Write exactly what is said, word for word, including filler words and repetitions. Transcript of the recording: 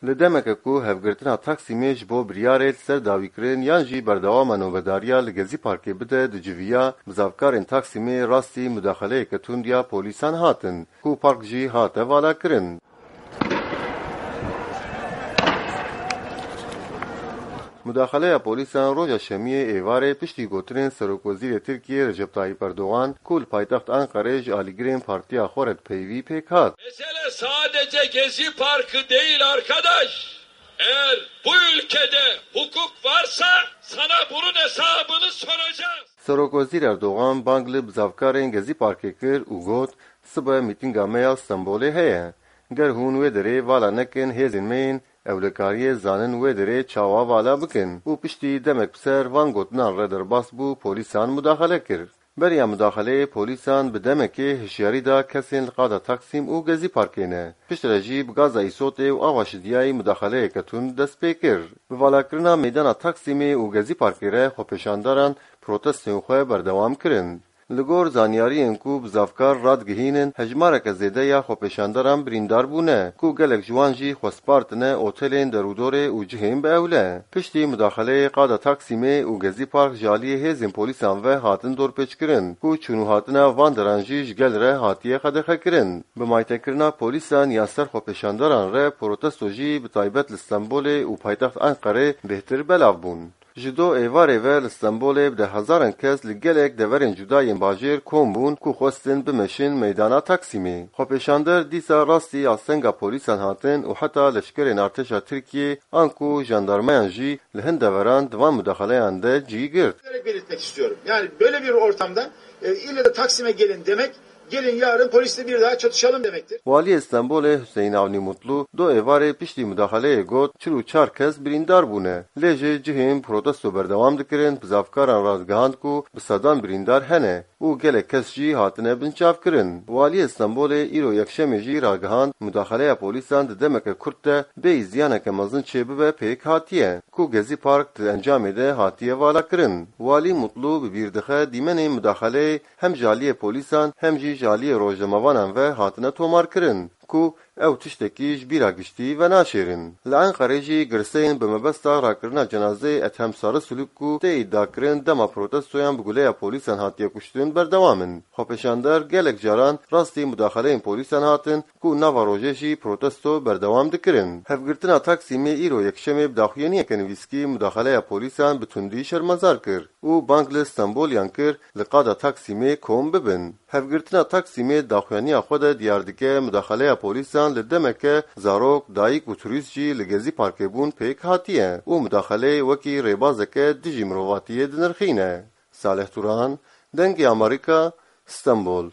Li demeke ku hevgirtina Taksîmê ji bo biryarê li ser dawîkirin yan jî berdewama nobedariya li Gezî Parkê bide, diciviya bizavkarên Taksîmê rastî mudaxeleyeke tund ya polîsan hatin, ku park jî hate valakirin. Mudaxeleya polîsan roja Şemiyê êvarê piştî gotinên Serokwezîrê Tirkiyê Recep Tayyip Erdogan, ku li paytext Enqerê ji alîgirên partiya xwe re dipeyivî, pêk hat. Mesele sadece Gezi Parkı değil arkadaş. Eğer bu ülkede hukuk varsa sana bunun hesabını soracağız. Serokwezîr Erdogan bang li bizavkarên Gezî Parkê kir û got, sibe mîtînga me ya Stenbolê heye. Ger hûn wê derê vala nekin, hêzên me yên ewlekariyê zanin wê derê çawa vala bikin û piştî demek bi ser van gotinan re derbas bû, polîsan mudaxele kir. Beriya mudaxeleyê polîsan bi demekê hişyarî da kesên li qada Taksîm û Gezî Parkê ne. Piştre jî bi gaza îsotê û ava şidiyayî mudaxeleyeke tund dest pê kir. Bi valakirina meydana Taksîmê û Gezî Parkê re xwepêşandaran protestên xwe berdewam kirin. Li gor zanyariyên ku bizavkar radigihînin, hejmareke zêde ya xwepêşandaran birîndar bûne, ku gelek ji wan jî xwe spartine otelên derûdorê û cihên bi ewle. Piştî mudaxeleyê qada Taksîmê û Gezî Park ji aliyê hêzên polîsan ve hatin dorpêçkirin, ku çûn û hatina van deran jî ji gel re hatiye qedexekirin. Bi maytekirina polîsan ya ser xwepêşandaran re protesto jî bi taybet li Stenbolê û paytext Enqerê bêhtir belav bûn. Ji do êvarê ve li Stenbolê bi dehhezaran kes li gelek deverên cuda yên bajêr kom bûn ku xwestin bimeşin meydana Taksîmê. Xwepêşander dîsa rastî astenga polîsan hatin û heta leşkerên artêşa Tirkiyê anku jandarmayan jî li hin deveran di van mudaxeleyan de cî girt. Belirtmek istiyorum. Yani böyle bir ortamda e, ille de Taksim'e gelin demek, gelin yarın polisle bir daha çatışalım demektir. Waliyê Stenbolê Hüseyin Avni Mutlu do êvarê piştî mudaxeleyê got, çil û çar kes birîndar bûne. Lê ji cihên protesto berdewam dikirin, bizavkaran radigihand ku bi sedan birîndar hene û gelek kes jî hatine binçavkirin. Waliyê Stenbolê îro yekşemê jî ragihand, mudaxeleya polîsan di demeke kurt de bêyî ziyaneke mezin çêbibe pêk hatiye, ku Gezî Park di encamê de hatiye valakirin. Walî Mutlu bi bîr dixe dîmenên mudaxeleyê hem ji aliyê polîsan hem jî ji aliyê rojnamevanan ve hatine tomarkirin, ku ew tiştekî ji bîra giştî venaşêrin. Li Enqerê jî girseyên bi mebesta rakirina cenazeyê Ethem Sarısuluk ku tê îdiakirin dema protestoyan bi guleya polîsan hatiye kuştin berdewam in. Xwepêşander gelek caran rastî mudaxeleyên polîsan hatin ku nava rojê jî protesto berdewam dikirin. Hevgirtina Taksîmê îro yekşemê bi daxuyaniyeke nivîskî mudaxeleya polîsan bi tundî şermezar kir û bang li Stenboliyan kir li qada Taksîmê kom bibin. Hevgirtina Taksîmê daxuyaniya xwe de diyar dike mudaxeleya polîsan li demeke zarok, dayik û turîst jî li Gezî Parkê bûn pêk hatiye û mudaxeleyê wekî rêbazeke dijî mirovatiyê dinirxîne. Salih Turan, Dengê Amerîka, Stenbol.